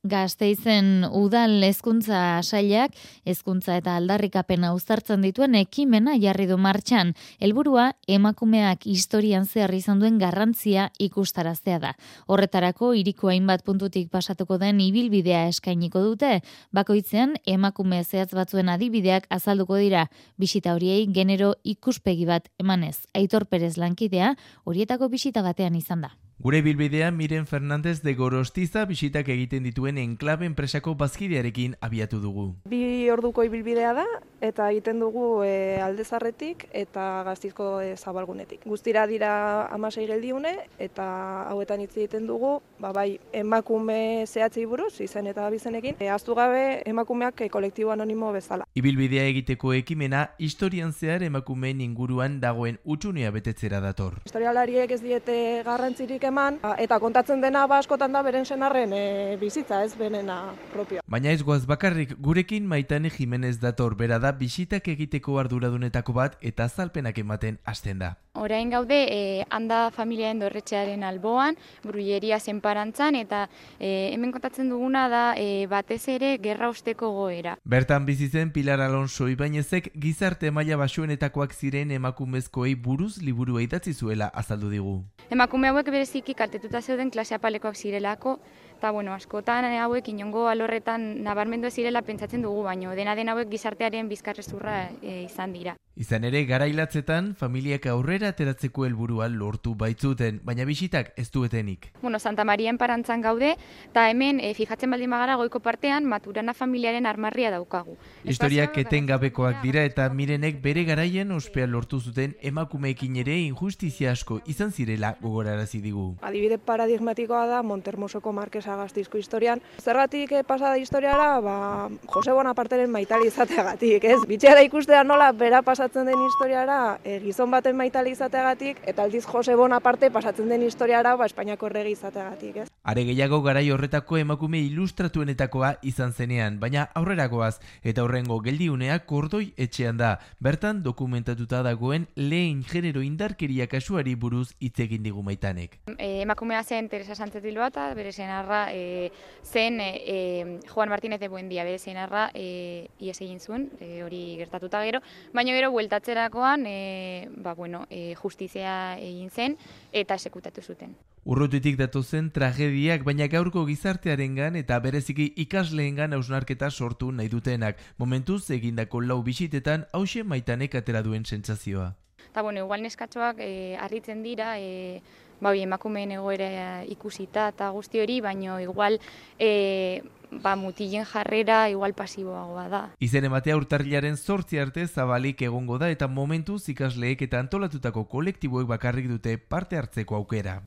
Gasteizen udal hezkuntza sailak hezkuntza eta aldarrikapena uztartzen dituen ekimena jarri du martxan. Helburua emakumeak historian zehar izan duen garrantzia ikustaraztea da. Horretarako hiriko hainbat puntutik pasatuko den ibilbidea eskainiko dute. Bakoitzean emakume zehatz batzuen adibideak azalduko dira. Bisita horiei genero ikuspegi bat emanez. Aitor Perez lankidea horietako bisita batean izan da. Gure bilbidea Miren Fernandez de Gorostiza bisitak egiten dituen enklabe enpresako bazkidearekin abiatu dugu. 2 orduko ibilbidea da eta egiten dugu Aldezarretik eta Gasteizko Zabalgunetik. Guztira dira 16 geldiune eta hauetan hitz egiten dugu, bai emakume zehatzei buruz, izen eta abizenekin, ahaztu gabe emakumeak kolektibo anonimo bezala. Ibilbidea egiteko ekimena historian zehar emakumeen inguruan dagoen hutsunea betetzera dator. Historialariek ez diete garrantzirik eman, eta kontatzen dena askotan da beren senarren bizitza, ez benena propio. Baina ez goaz bakarrik, gurekin Maitane Jimenez dator, bera da bisitak egiteko arduradunetako bat eta azalpenak ematen hasten da. Orain gaude, handa familiaen dorretxearen alboan, Brulleria zenparantzan, eta hemen kontatzen duguna da batez ere gerra osteko goera. Bertan bizi zen Pilar Alonso Ibañezek gizarte maila baxuenetakoak ziren emakumezkoei buruz liburua idatzi zuela azaldu digu. Emakume hauek bereziki kaltetuta zeuden klase apalekoak zirelako, eta askotan hauek inongo alorretan nabarmendu zirela pentsatzen dugu, baino dena hauek gizartearen bizkarrezurra izan dira. Izan ere, garailatzetan, familiak aurrera ateratzeko helburua lortu baitzuten, baina bisitak ez duetenik. Santa Maria Enparantzan gaude, eta hemen, fijatzen baldin bagara goiko partean, Maturana familiaren armarria daukagu. Historiak etengabekoak dira eta Mirenek bere garaien ospea lortu zuten emakumeekin ere injustizia asko izan zirela gogorarazi digu. Adibide paradigmatikoa da Montermosoko Markesa Gasteizko historian. Zergatik pasada historiara, Jose Bonaparteren maitali izateagatik, ez? Bitxera ikustea nola bera pasatzen den historiara gizon baten maitali izateagatik, eta aldiz Jose Bonaparte pasatzen den historiara Espainiako errege izateagatik, ez? Are gehiago garai horretako emakume ilustratuenetakoa izan zenean, baina aurreragoaz eta horrengo geldiunea Kordoi etxean da. Bertan dokumentatuta dagoen lehen genero indarkeria kasuari buruz hitz egin digu Maitanek. Emakumea zen Teresa Sánchez Bilbata, bere senarra zen Juan Martínez de Buendia, bere senarra ihes egin zuen, hori gertatuta gero, baina gero bueltatzerakoan justizia egin zen eta esekutatu zuten. Urrutitik datozen tragediak, baina gaurko gizartearengan eta bereziki ikasleengan hausnarketa sortu nahi dutenak. Momentuz egindako 4 bisitetan hauxe Maitanek atera duen sentsazioa. Eta igual neskatxoak harritzen dira, emakumeen egoera ikusita eta guzti hori, baina igual mutilen jarrera igual pasiboagoa da. Izen ematea urtarrilaren 8 arte zabalik egongo da eta momentuz ikasleek eta antolatutako kolektiboek bakarrik dute parte hartzeko aukera.